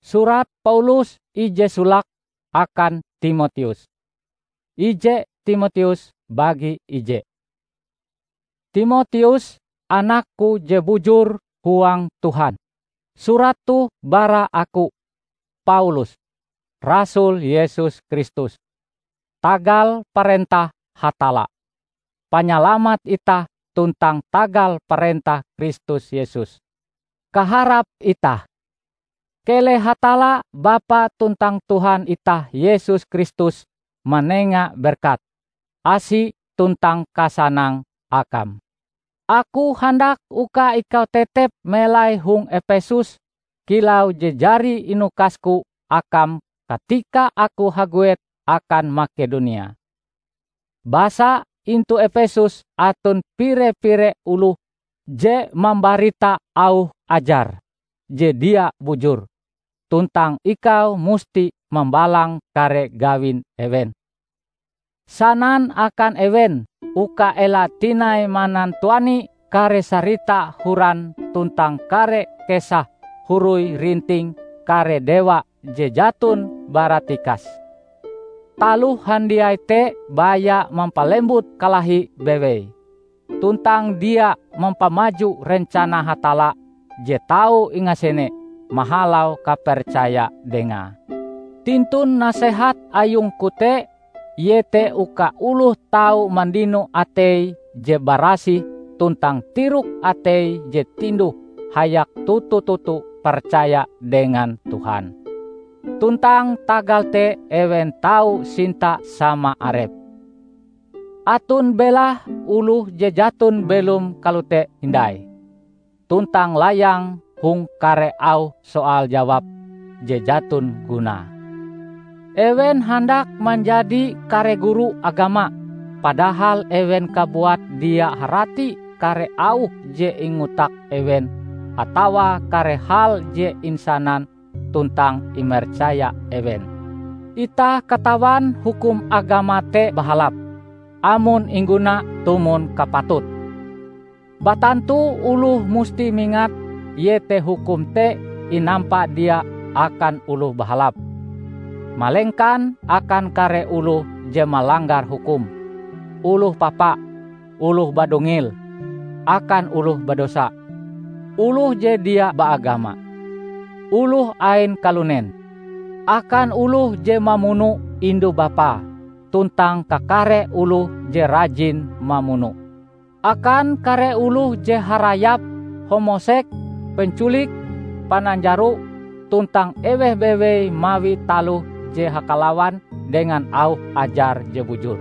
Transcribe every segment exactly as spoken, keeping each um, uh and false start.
Surat Paulus ije solake akan Timoteus. Ije Timoteus bagi ije. Timoteus, anakku je bujur huang Tuhan. Surat toh bara aku, Paulus, rasul Yesus Kristus, tagal parentah Hatalla, Panyalamat itah tuntang tagal parentah Kristus Yesus. Kaharap itah. Keleh Hatalla, Bapa tuntang Tuhan itah Yesus Kristus, manenga berkat, asi tuntang kasanang akam. Aku handak uka ikau tetep melai hong Epesus kilau je jari inukasku akam katika aku haguet akan Makedonia. Basa intu Epesus aton pire-pire oloh je mambarita auh ajar je dia bujur, tuntang ikau musti mambalang kare gawin ewen. Sanan akan ewen uka ela tinai manantuani kare sarita horan tuntang kare kesah huroi-rinting kare dewa je jaton bara tikas. Taloh handiai te baya mampalembut kalahi bewei, tuntang dia mampamaju rencana Hatalla je tau ingasene mahalau kapercaya Dengae. Tintun nasehat ayungku te, iete uka oloh tau mandino atei je barasih tuntang tirok atei je tinduh hayak toto-toto percaya dengan Tuhan. Tuntang tagal te ewen tau sinta sama arep. Aton belahe oloh je jaton belom kalote hindai, tuntang layang hong kare auh soal jawab je jaton gunae. Ewen handak manjadi kare guru agama, padahal ewen kabuat dia harati kare auh je ingotak ewen atawa kare hal je insanan tuntang imercaya ewen. Itah katawan hukum agama te bahalap, amon ingguna tumon kapatut. Batantu oloh musti mingat iete hukum te inampa dia akan oloh bahalap, malengkan akan kare oloh je malanggar hukum, oloh papa, oloh badungil, akan oloh badosa, oloh je dia baagama, oloh ain kalunen, akan oloh je mamuno indu-bapae, tuntang kakare oloh je rajin mamuno, akan kare oloh je harayap, homosek, penculik, pananjaro, tuntang eweh bewei mawi taloh je hakalawan dengan auh ajar je bujur.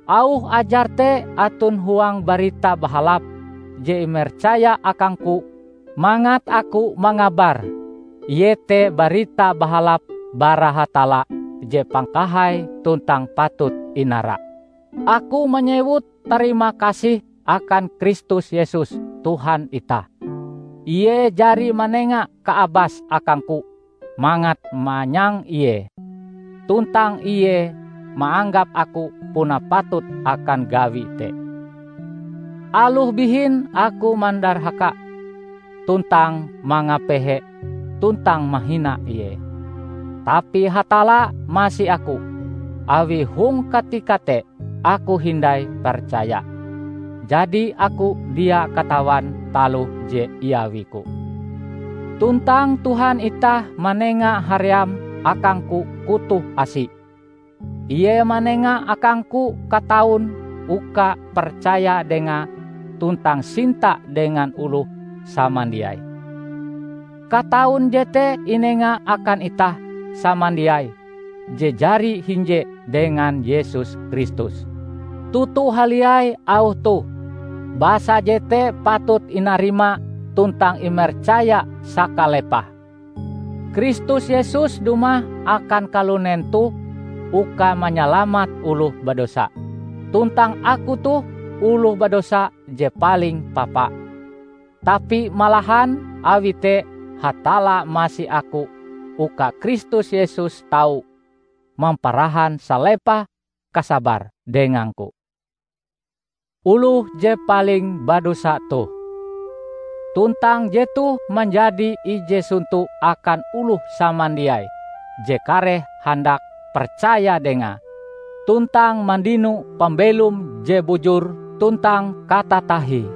Auh ajar te aton huang Barita Bahalap je imercaya akangku mangat aku mangabar, iete Barita Bahalap bara Hatalla je pangkahai tuntang patut inara. Aku manyewut tarima kasih akan Kristus Yesus, Tuhan itah. Ie jari manenga kaabas akangku mangat manyang Ie, tuntang Ie maanggap aku puna patut akan gawi te. Aloh bihin aku mandarhaka tuntang mangapehe tuntang mahina Ie. Tapi Hatalla masi aku, awi hong katika te aku hindai percaya. Jadi aku dia katawan taloh je iawiku. Tuntang Tuhan itah manenga haream akangku kutoh asi. Ie manenga akangku kataun uka percaya Dengae tuntang sinta dengan oloh samandiai. Kataun jete inenga akan itah samandiai je jari hinje dengan Yesus Kristus. Toto haliai auh toh, basa jete patut inarima tuntang imercaya sakalepah. Kristus Yesus dumah akan kalunen toh uka manyalamat oloh badosa. Tuntang aku toh oloh badosa je paling papa. Tapi malahan awi te Hatalla masi aku uka Kristus Yesus tau mamparahan salepah kasabar dengangku. Oloh je paling badosa toh. tuntang jetoh manjadi ije sonto akan oloh samandiai je kareh handak percaya Dengae, tuntang mandino pambelom je bujur tuntang katatahie.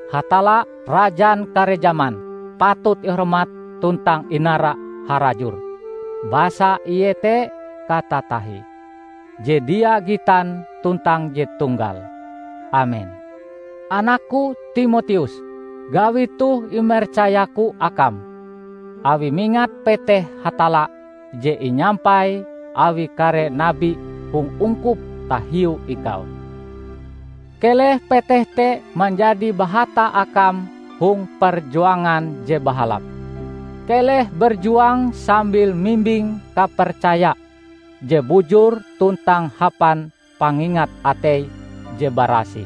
Hatalla, Rajan kare jaman, patut ihormat tuntang inara harajur, basa Ie te katatahie, je dia gitan tuntang je tunggal. Amen. Anakku Timoteus, gawi toh imercayaku akam, awi mingat peteh Hatalla je inyampai awi kare nabi hong ungkup tahiu ikau. Keleh peteh te manjadi bahata akam hong perjuangan je bahalap. Keleh berjuang sambil mimbing kapercaya je bujur tuntang hapan pangingat atei je barasih.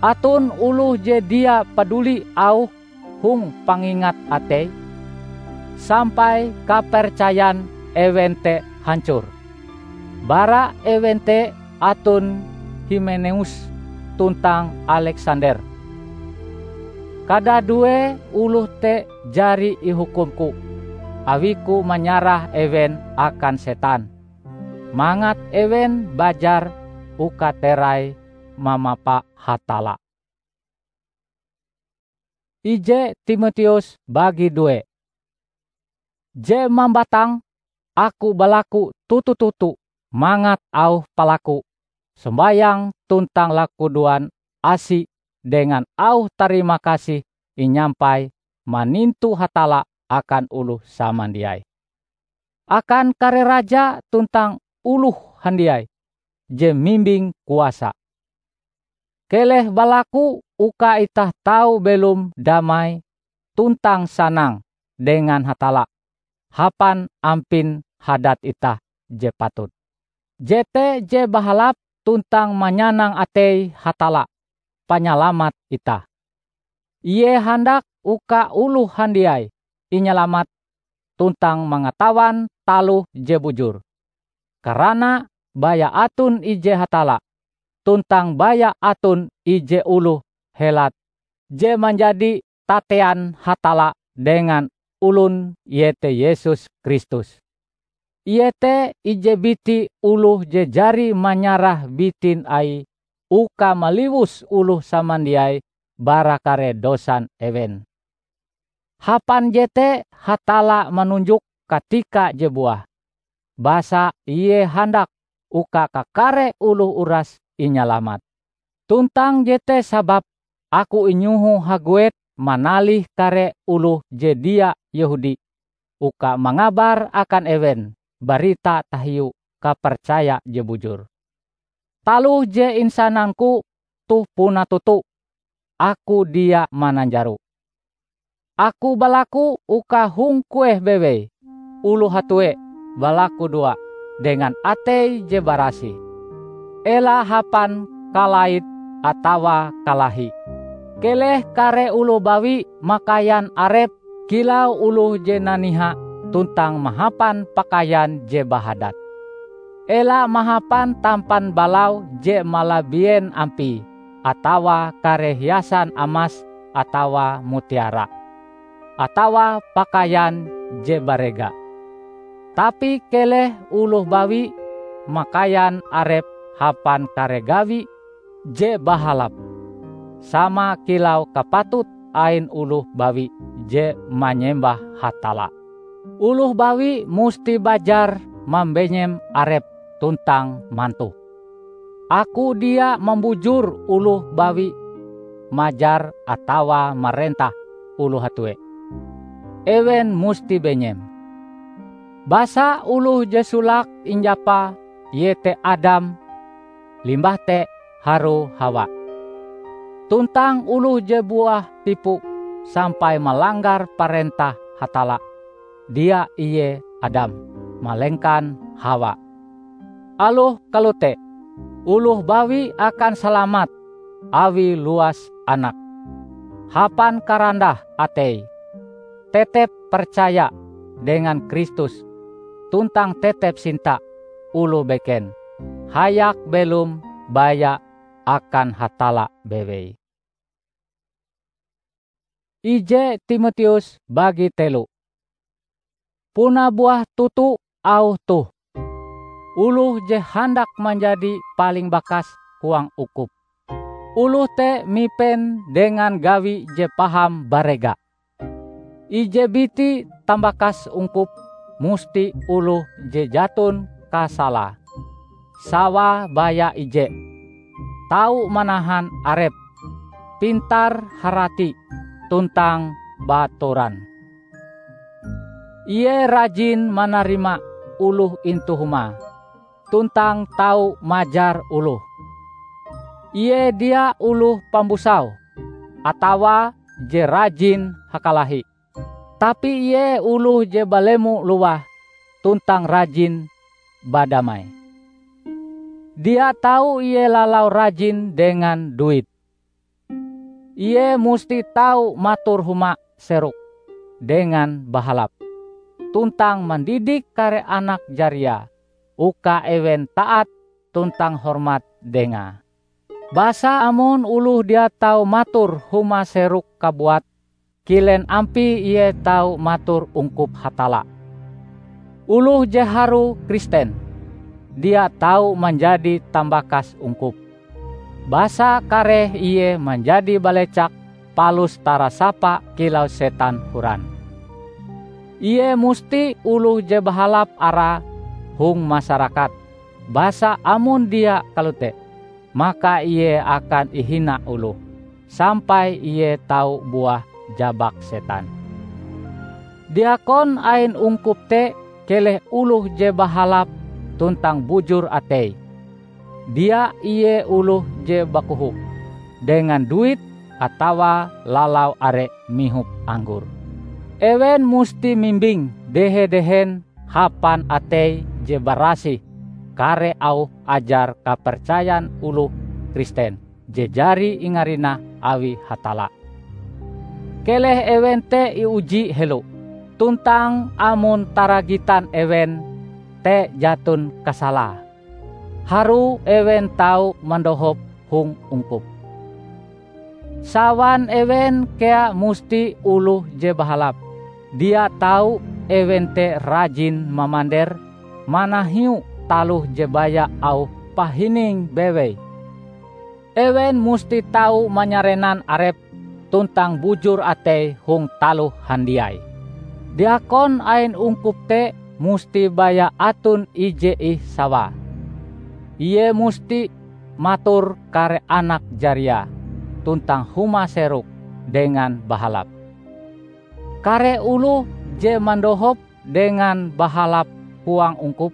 Aton oloh je dia paduli auh hong pangingat atei, sampai kapercayan ewen te hancor. Bara ewen te aton Himeneus tuntang Aleksander. Kadadue oloh te jari ihukumku, awiku manyarah ewen akan setan, mangat ewen bajar uka terai mamapa Hatalla. Ije Timoteus bagi due. Je mambatang, aku balaku toto-toto mangat auh palaku, sombayang tuntang lakudoan asi dengan auh tarima kasih inyampai manintu Hatalla akan oloh samandiai, akan kare raja tuntang oloh handiai je mimbing kuasa. Keleh balaku uka itah tau belom damai tuntang sanang dengan Hatalla hapan ampin hadat itah je patut. Jete je bahalap tuntang manyanang atei Hatalla, Panyalamat itah. Ie handak uka oloh handiai inyalamat tuntang mangatawan taloh je bujur. Karana baya aton ije Hatalla, tuntang baya aton ije oloh helat je manjadi tatean Hatalla dengan olon, iete Yesus Kristus. Ie te ije biti oloh je jari manyarah bitin Aie uka maliwus oloh samandiai bara kare dosan ewen. Hapan jete Hatalla manunjok katika je buah, basa Ie handak uka kakare oloh uras inyalamat. Tuntang jete sababe aku inyoho haguet manalih kare oloh je dia Yehudi uka mangabar akan ewen barita tahiu kapercaya je bujur. Taloh je insanangku toh puna toto, aku dia mananjaro. Aku balaku uka hong kueh bewei oloh hatue balakudoa dengan atei je barasih. Ela hapan kalait atawa kalahi. Keleh kare oloh bawi makaian arepe kilau oloh je naniha tuntang mahapan pakaian je bahadat. Ela mahapan tampan balau je malabien ampie atawa kare hiasan amas atawa mutiara, atawa pakaian je barega. Tapi keleh oloh bawi makaian arepe hapan kare gawi je bahalap, sama kilau kapatut ain oloh bawi je manyembah Hatalla. Oloh bawi musti bajar mambenyem arepe tuntang mantoh. Aku dia mambujur oloh bawi majar atawa marentah oloh hatue. Ewen musti benyem. Basa oloh je solake injapa iete Adam, limbah te harue Hawa. Tuntang oloh je buah tipu sampai malanggar parentah Hatalla, dia ie Adam, malengkan Hawa. Aloh kalote, oloh bawi akan salamat awi luas anak, hapan karandah atei, tetep percaya dengan Kristus, tuntang tetep sinta oloh beken hayak belom baya akan Hatalla bewei. Ije Timoteus bagi telu. Puna buah toto auh toh, oloh je handak manjadi paling bakas huang ungkup. Oloh te mipen dengan gawi je paham barega. Ije biti tambakas ungkup musti oloh je jaton kasalae, sawae baya ije, tau manahan arepe, pintar-harati, tuntang baatoran. Ie rajin manarima oloh intu humae, tuntang tau majar oloh. Ie dia oloh pambusau, atawa je rajin hakalahi, tapi ie oloh je balemo lowah tuntang rajin badamai. Dia tau ie lalau rajin dengan duit. Ie musti tau mator huma seroke dengan bahalap, tuntang mandidik kare anak jariae uka ewen taat tuntang hormat dengae. Basa amon oloh dia tau mator huma seroke kabuat, kilen ampie ie tau mator ungkup Hatalla? Oloh je harue Kristen, dia tau manjadi tambakas ungkup. Basa kareh ie manjadi balecak palus tarasapa kilau setan horan. Ie musti oloh je bahalap arae hong masarakat, basa amon dia kalote, maka ie akan ihina oloh, sampai ie tau buah jabak setan. Diakon ain ungkup te keleh oloh je bahalap tuntang bujur ateie. Dia ie oloh je bakoho dengan duit atawa lalau are mihop anggor. Ewen musti mimbing dehe-dehen hapan atei je barasih kare auh ajar kapercayan oloh Kristen je jari ingarinah awi Hatalla. Keleh ewen te iuji helo, tuntang amon taragitan ewen te jaton kasalae, harue ewen tau mandohop hong ungkup. Sawan ewen kea musti oloh je bahalap. Dia tau ewen te rajin mamander manahiu taloh je baya auh pahining bewei. Ewen musti tau manyarenan arepe tuntang bujur atei hong taloh handiai. Diakon ain ungkup te musti baya aton ije ih sawae. Ie musti mator kare anak jariae tuntang huma seroke dengan bahalap. Kare oloh je mandohop dengan bahalap huang ungkup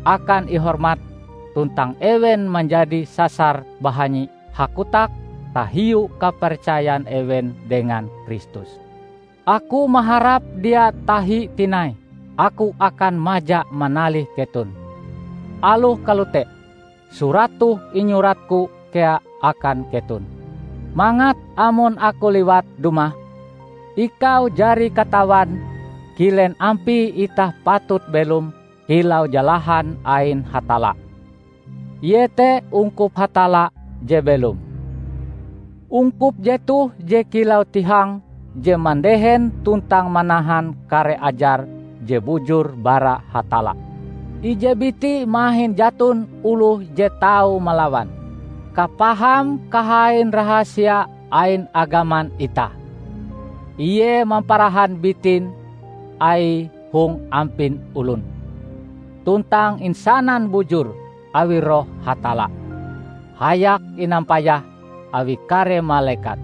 akan ihormat, tuntang ewen manjadi sasar bahanyi hakotak tahiu kapercayan ewen dengan Kristus. Aku maharap dia tahi tinai aku akan maja manalih keton. Aloh kalote, surat toh inyuratku kea akan keton, mangat amon aku liwat dumah, ikau jari katawan kilen ampie itah patut belom kilau jalahan ain Hatalla, iete ungkup Hatalla je belom. Ungkup jetoh je kilau tihang je mandehen tuntang manahan kare ajar je bujur bara Hatalla. Ije biti mahin jaton oloh je tau malawan kapaham kahain rahasia ain agaman itah. Ie mamparahan bitin Aie hong ampin olon, tuntang insanan bujur awi Roh Hatalla, hayak inampayah awi kare malekat.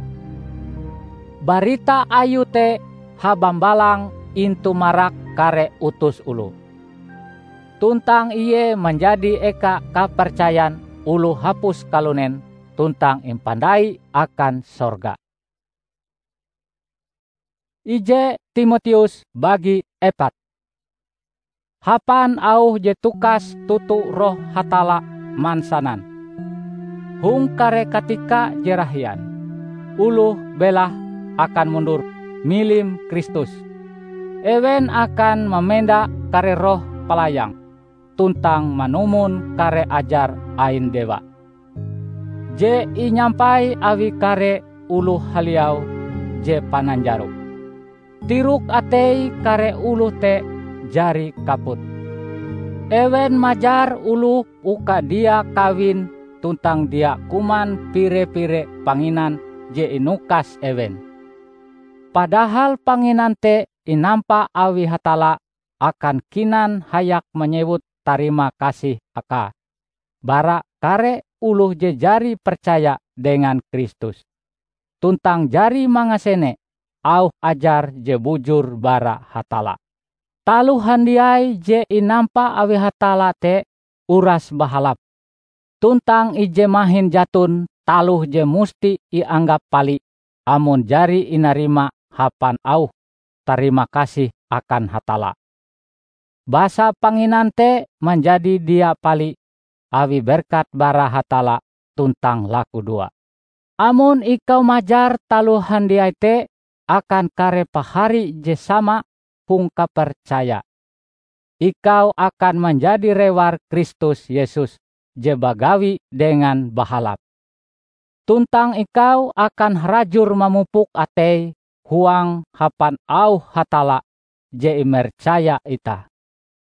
Barita Ayue te habambalang intu marak kare utus oloh, tuntang ie manjadi eka kapercayan oloh hapus kalunen tuntang impandai akan sorga. Ije Timoteus bagi epat. Hapan auh je tukas toto Roh Hatalla mansanan, hong kare katika je rahian, oloh belahe akan mundur milim Kristus. Ewen akan mamenda kare roh palayang tuntang manumon kare ajar ain dewa, je inyampai awi kare oloh haliau je pananjaro. Tirok atei kare oloh te jari kaput. Ewen majar oloh uka dia kawin tuntang dia kuman pire-pire panginan je inukas ewen. Padahal panginan te inampa awi Hatalla akan kinan hayak manyewut tarima kasih Akae bara kare oloh je jari percaya dengan Kristus, tuntang jari mangasene auh ajar je bujur bara Hatalla. Taloh handiai je inampa awi Hatalla te uras bahalap, tuntang ije mahin jaton taloh je musti ianggap pali amon jari inarima hapan auh tarima kasih akan Hatalla. Basa panginan te manjadi dia pali awi berkat bara Hatalla tuntang lakudoa. Amon ikau majar taloh handiai te akan kare pahari je sama hong kapercaya, ikau akan manjadi rewar Kristus Yesus je bagawi dengan bahalap. Tuntang ikau akan harajur mamupuk atei huang hapan auh Hatalla je imercaya itah,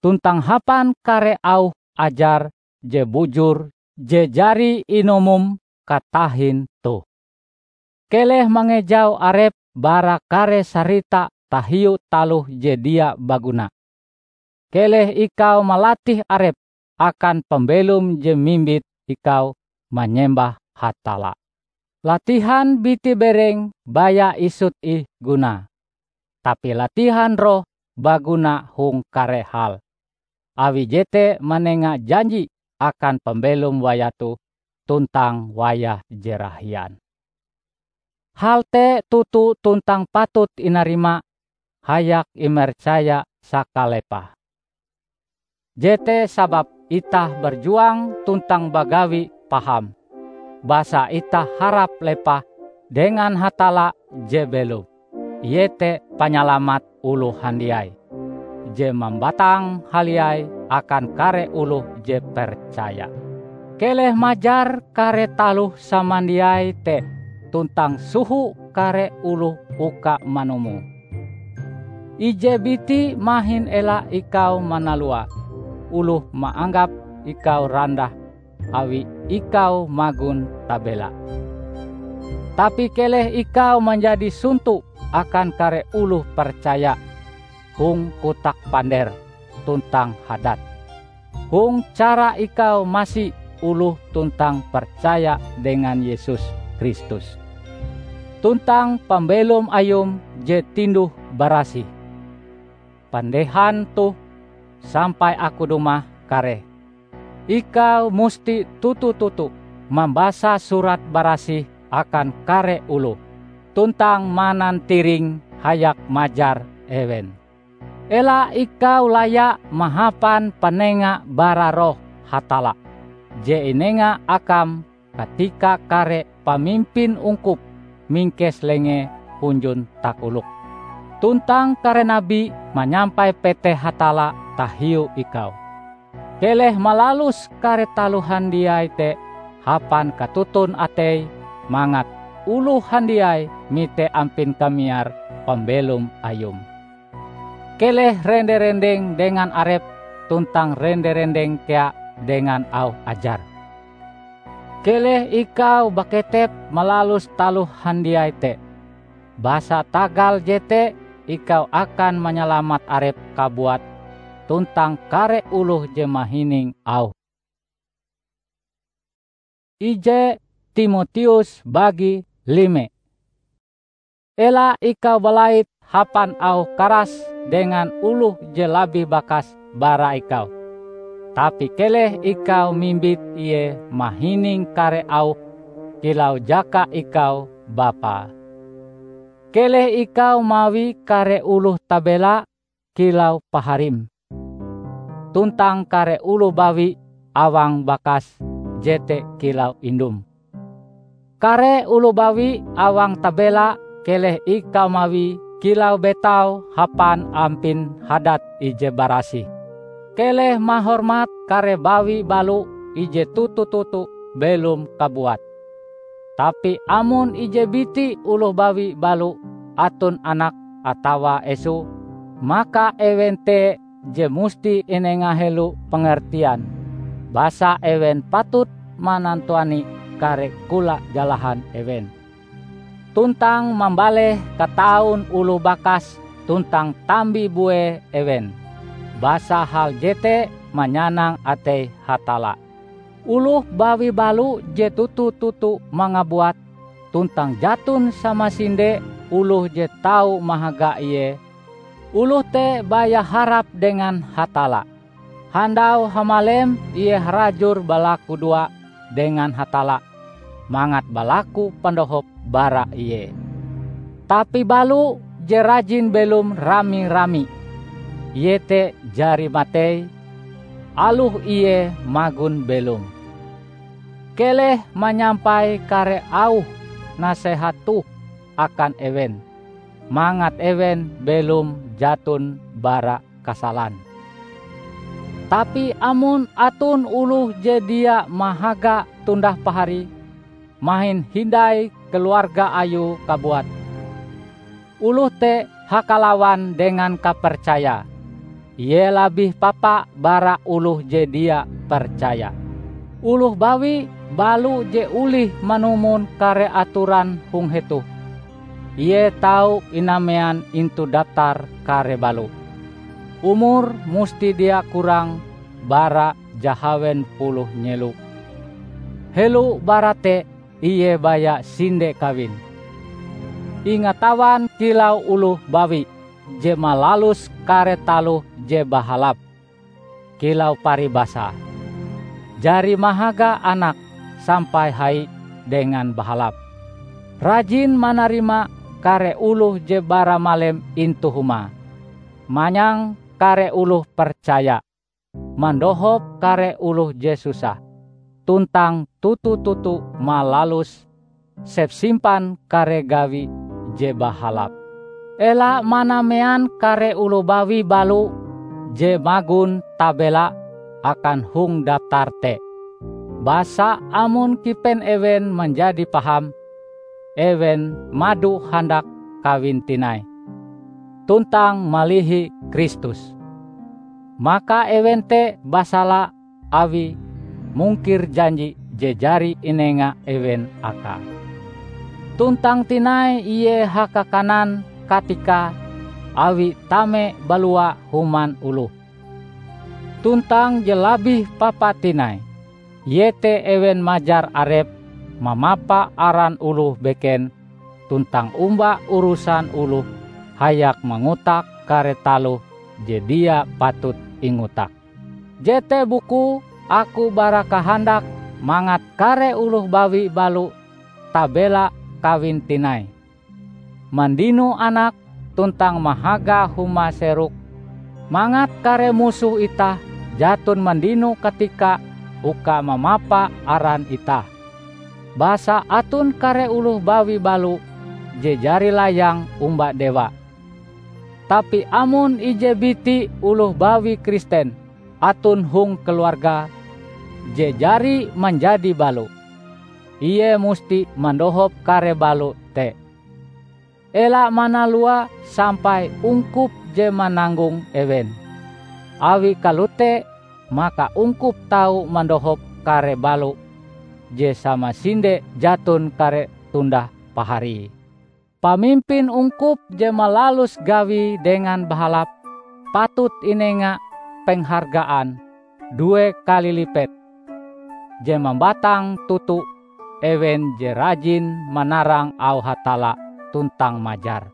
tuntang hapan kare auh ajar je bujur je jari inumom katahin toh. Keleh mangejau arep bara kare sarita tahiu taloh je dia baguna. Keleh ikau malatih arep akan pambelom je mimbit ikau manyembah Hatalla. Latihan biti bereng baya isut ih gunae, tapi latihan roh baguna hong kare hal, awi jete manenga janji akan pambelom wayah toh tuntang wayah je rahian. Hal te toto tuntang patut inarima hayak imercaya sakalepah. Jete sababe itah berjuang tuntang bagawi paham, basa itah harap lepah dengan Hatalla je belom, iete Panyalamat oloh handiai, je mambatang haliai akan kare oloh je percaya. Keleh majar kare taloh samandiai te tuntang soho kare oloh uka manumon. Ije biti mahin ela ikau manalua oloh maanggap ikau randah awi ikau magon tabela. Tapi keleh ikau manjadi sonto akan kare oloh percaya hong kotak pander tuntang hadat, hong cara ikau masi oloh tuntang percaya dengan Yesus Kristus, tuntang pambelom Ayum je tinduh-barasih. Pandehan toh sampai aku dumah kareh. Ikau musti toto-toto mambasa Surat Barasih akan kare oloh, tuntang manantiring hayak majar ewen. Ela ikau laya mahapan panenga bara Roh Hatalla je inenga akam katika kare pamimpin ungkup mingkes lengee hunjun takolok, tuntang kare nabi manyampai peteh Hatalla tahiu ikau. Keleh malalus kare taloh handiai te hapan katoton atei, mangat oloh handiai mite ampin kamiar pambelom Ayum. Keleh rende-rendeng dengan arep tuntang rende-rendeng kea dengan auh ajar. Keleh ikau baketep malalus taloh handiai te, basa tagal jete ikau akan manyalamat arep kabuat tuntang kare oloh je mahining auhm. Ije Timoteus bagi lime. Ela ikau balait hapan auh karas dengan oloh je labih bakas bara ikau, tapi keleh ikau mimbit ie mahining kare auh kilau jaka ikau bapae. Keleh ikau mawi kare oloh tabela kilau paharim, tuntang kare oloh bawi awang bakas jete kilau indum. Kare oloh bawi awang tabela keleh ikau mawie kilau betau hapan ampin hadat ije barasih. Keleh mahormat kare bawi balo ije toto-toto belom kabuat. Tapi amon ije biti oloh bawi balo aton anak atawa esu, maka ewen te je musti inenga helo pengertian, basa ewen patut manantuani kare kola jalahan ewen, tuntang mambaleh kataun oloh bakas tuntang tambi bue ewen, basa hal jete manyanang atei Hatalla. Oloh bawi balo je toto-toto mangabuat, tuntang jaton samasinde oloh je tau mahaga ie, oloh te baya harap dengan Hatalla. Handau hamalem ie harajur balakudoa dengan Hatalla mangat balaku pandohop bara ie. Tapi balo je rajin belom rami-rami, iete jari matei, aloh ie magon belom. Keleh manyampai kare auh nasehat toh akan ewen, mangat ewen belom jaton bara kasalan. Tapi amon aton oloh je dia mahaga tundah pahari, mahin hindai keluarga ayue kabuat, oloh te hakalawan dengan kapercaya. Ie labih papa bara oloh je dia percaya. Oloh bawi balo je olih manumon kare atoran hong hetoh, ie tau inamean intu daptar kare balo. Umure musti dia kurang bara jahawen puluh nyelo. Helo bara te ie baya sinde kawin. Ingatawan kilau oloh bawi je malalus kare taloh je bahalap, kilau paribasae, jari mahaga anak sampai hai dengan bahalap. Rajin manarima kare oloh je bara malem intu humae, manyang kare oloh percaya, mandohop kare oloh je susah, tuntang toto-toto malalus sepsimpan kare gawi je bahalap. Ela manamean kare oloh bawi balo je magon tabela akan hong daptar te. Basa amon kipen ewen manjadi paham, ewen mado handak kawin tinai, tuntang malihi Kristus. Maka ewen te basala awi mungkir janji je jari inenga ewen akae. Tuntang tinai ie hakakanan katikae awi tame balua human oloh. Tuntang je labih papa tinai, iete ewen majar arepe mamapa aran oloh beken tuntang omba urusan oloh hayak mangotak kare taloh je dia patut ingotak. Jete bukue aku bara kahandak mangat kare oloh bawi balo tabela kawin tinai, mandino anak tuntang mahaga huma serok, mangat kare musoh itah jaton mandino katika uka mamapa aran itah. Basa aton kare oloh bawi balo je jari layang omba dewa. Tapi amon ije biti oloh bawi Kristen aton hong keluarga je jari manjadi balo, ie musti mandohop kare balo te. Ela manalua sampai ungkup je mananggong ewen. Awi kalote, maka ungkup tau mandohop kare balo je samasinde jaton kare tundah paharie. Pamimpin ungkup je malalus gawie dengan bahalap patut inenga penghargaan due kali lipet je mambatang toto ewen je rajin manarang auh Hatalla tuntang majar.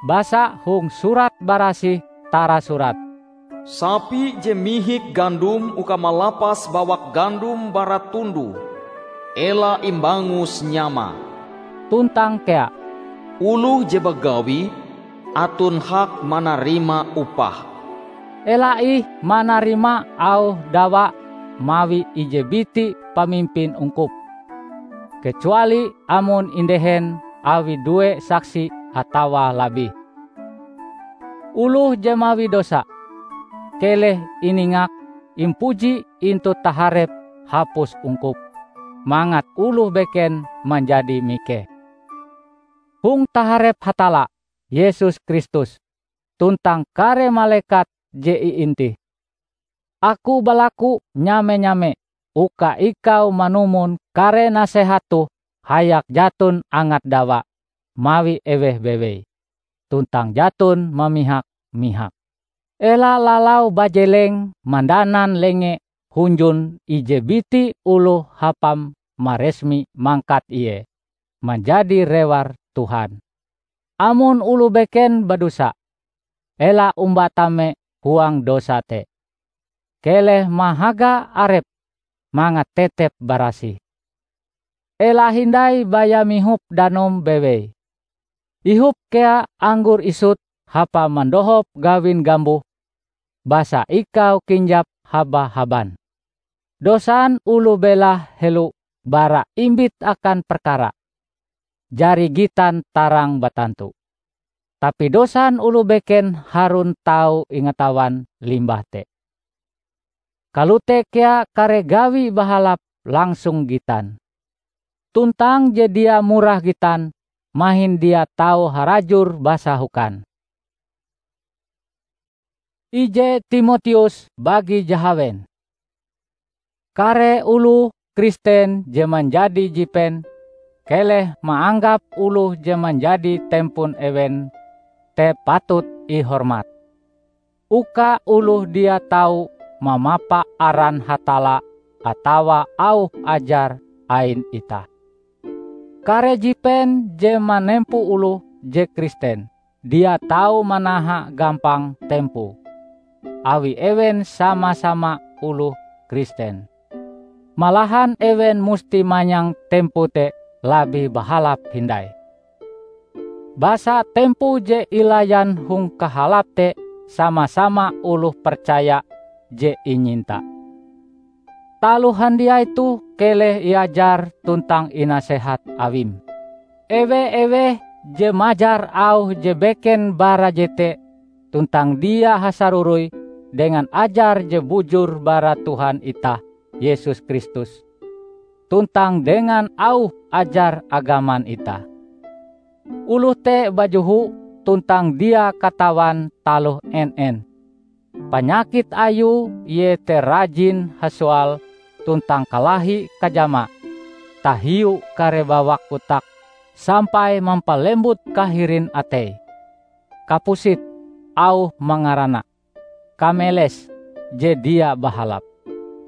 Basa hong Surat Barasih tarasurat, "Sapi je mihik gandum uka malapas bawak gandum bara tundoe, ela imbangus nyamae." Tuntang kea, "Oloh je bagawi aton hak manarima upah." Ela ih manarima auh dawa mawi ije biti pamimpin ungkup, kecuali amon indehen awi due saksi atawa labih. Oloh je mawi dosa, keleh iningak impuji intu taharep hapus ungkup, mangat oloh beken manjadi mikeh. Hong taharep Hatalla, Yesus Kristus, tuntang kare malekat je iintih. Aku balaku nyame-nyame uka ikau manumon kare nasehat toh hayak jaton angat dawa mawi eweh bewei, tuntang jaton mamihak-mihak. Ela lalau bajeleng mandanan lenge hunjun ije biti oloh hapam maresmi mangkat ie manjadi rewar Tuhan. Amon oloh beken badosa, ela omba tame huang dosa te. Keleh mahaga arep mangat tetep barasih. Ela hindai baya mihop danom bewei. Ihop kea anggor isut hapa mandohop gawin gamboh, basa ikau kinjap haba-haban. Dosan oloh belahe helo bara imbit akan perkara jari gitan tarang batantu. Tapi dosan oloh beken harun tau ingatawan limbah te. Kalote kea kare gawi bahalap langsung gitan. Tuntang je dia murah gitan, mahin dia tau harajur basa hukan. Ije Timoteus bagi jahawen. Kare oloh Kristen je manjadi jipen, keleh maanggap oloh je manjadi tempon ewen te patut ihormat. Uka oloh dia tau mamapa aran Hatalla atawa auh ajar ain itah. Kare jipen je manempo oloh je Kristen dia tau manaha gampang tempoe, awi ewen sama-sama oloh Kristen. Malahan ewen musti manyang tempoe te labih bahalap hindai. Basa tempoe je ilayan hong kahalap te sama-sama oloh percaya je inyinta. Taloh handiai toh keleh iajar tuntang inasehat awim. Ewe-eweh je majar auh je beken bara jete tuntang dia hasaroroi dengan ajar je bujur bara Tuhan itah Yesus Kristus, tuntang dengan auh ajar agaman itah. Oloh te bajoho tuntang dia katawan taloh en-en. Panyakit ayue iete rajin hasoal tuntang kalahi kajama, tahiu kare bawak kotak sampai mampalembut kahirin ateie. Kapusit, auh mangarana, kameles je dia bahalap,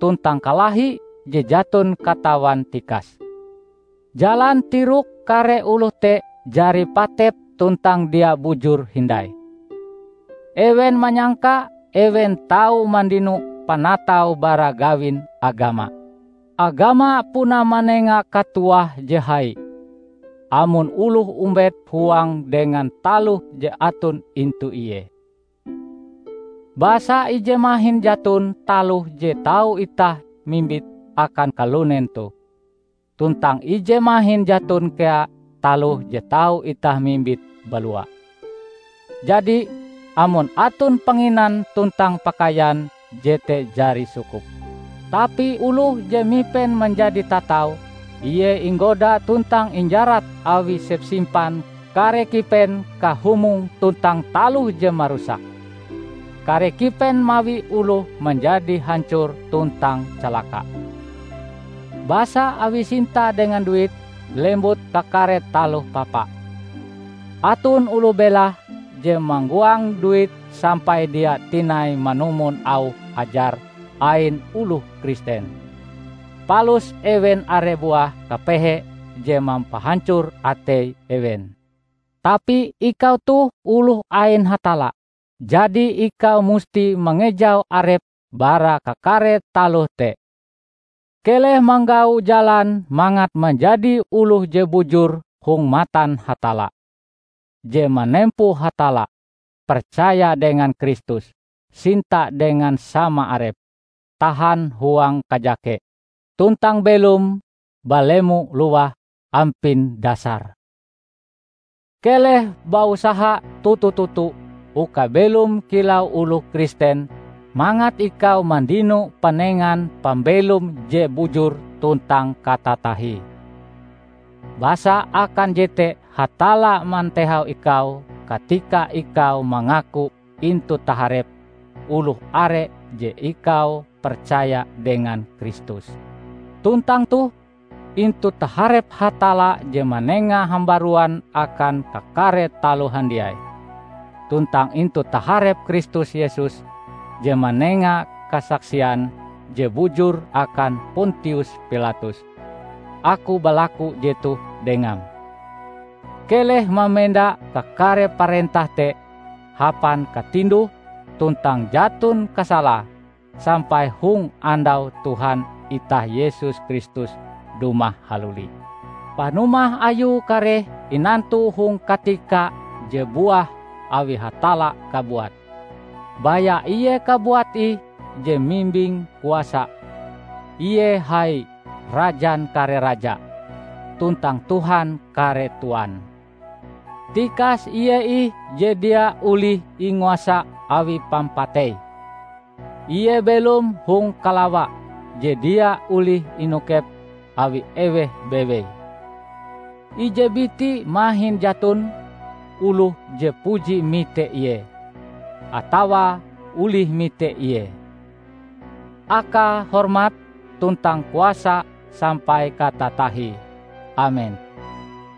tuntang kalahi je jaton katawan tikas. Jalan tirok kare oloh te jari patep tuntang dia bujur hindai. Ewen manyangka ewen tau mandino panatau bara gawin agama. Agama puna manenga katuah je hai, amon oloh ombet huang dengan taloh je aton intu ie. Basa ije mahin jaton taloh je tau itah mimbit akan kalunen toh, tuntang ije mahin jaton kea taloh je tau itah mimbit balua. Jadi, amon aton panginan tuntang pakaian, jete jari sukup. Tapi oloh je mipen manjadi tatau, ie inggoda tuntang injarat awi sepsimpan kare kipen kahumong tuntang taloh je marusak. Kare kipen mawi oloh manjadi hancor tuntang calaka. Basa awi sinta dengan duit, lembut kakare taloh papa. Aton oloh belahe je manggoang duit sampai dia tinai manumon auh ajar ain oloh Kristen. Palus ewen are buah kapehe je mampahancor atei ewen. Tapi ikau toh oloh ain Hatalla, jadi ikau musti mangejau arep bara kakare taloh te. Keleh manggau jalan mangat manjadi oloh je bujur hong matan Hatalla, je manempo Hatalla, percaya dengan Kristus, sinta dengan sama arep, tahan huang kajake, tuntang belom balemo luah ampin dasar. Keleh bausaha toto-toto uka belom kilau oloh Kristen, mangat ikau mandino panengan pambelom je bujur tuntang katatahie. Basa akan jete Hatalla mantehau ikau katika ikau mangaku intu taharep oloh are je ikau percaya dengan Kristus. Tuntang toh, intu taharep Hatalla je manenga hambaruan akan kakare taloh handiai, tuntang intu taharep Kristus Yesus je manenga kasaksian je bujur akan Pontius Pilatus, aku balaku jetoh dengam. Keleh mamenda kakare parentah te hapan katinduh tuntang jaton kasalae sampai hong andau Tuhan itah Yesus Kristus dumah haluli. Panumah Ayue kareh inantu hong katika je buah awi Hatalla kabuat. Baya Ie kabuat ih je mimbing kuasa. Ie hai Rajan kare raja, tuntang Tuhan kare tuan. Tikas Ie ih je dia olih inguasa awi pampatei. Ie belom hong kalawa je dia olih inokep awi eweh bewei. Ije biti mahin jaton oloh je puji mite Ie, atawa olih mite Ie. Akae hormat tuntang kuasa sampai katatahie. Amen.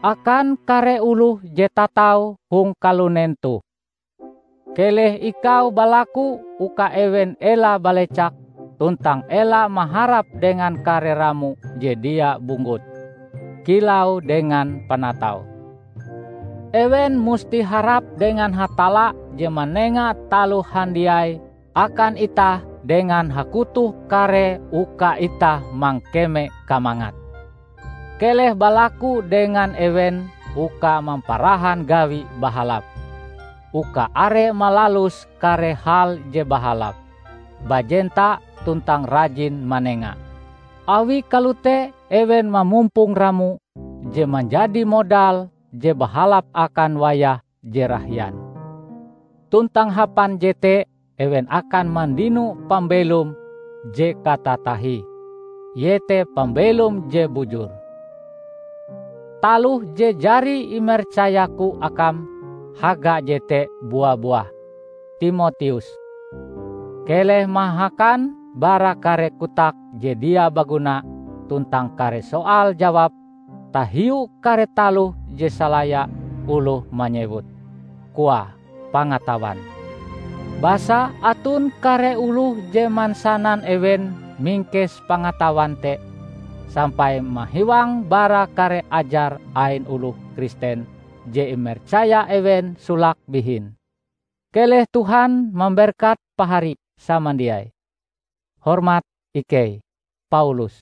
Akan kare oloh je tatau hong kalunen toh, keleh ikau balaku uka ewen ela balecak tuntang ela maharap dengan kare ramo je dia bunggut, kilau dengan panatau. Ewen musti harap dengan Hatalla je manenga taloh handiai akan itah dengan hakutoh karee uka itah mangkeme kamangat. Keleh balaku dengan ewen uka mamparahan gawi bahalap, uka are malalus kare hal je bahalap, bajenta tuntang rajin manenga. Awi kalote ewen mamumpong ramo je manjadi modal je bahalap akan wayah je rahian. Tuntang hapan jete ewen akan mandino pambelom je katatahie, iete pambelom je bujur. Taloh je jari imercayaku akam haga jete bua-buah. Timoteus, keleh mahakan bara kare kotak je dia baguna tuntang kare soal jawab tahiu kare taloh je salaya oloh manyewut, koae pangatawan. Basa aton kare oloh je mansanan ewen mingkes pangatawan te, sampai mahiwang bara kare ajar ain oloh Kristen je imercaya ewen solake bihin. Keleh Tuhan mamberkat pahari samandiai. Hormat ikei, Paulus.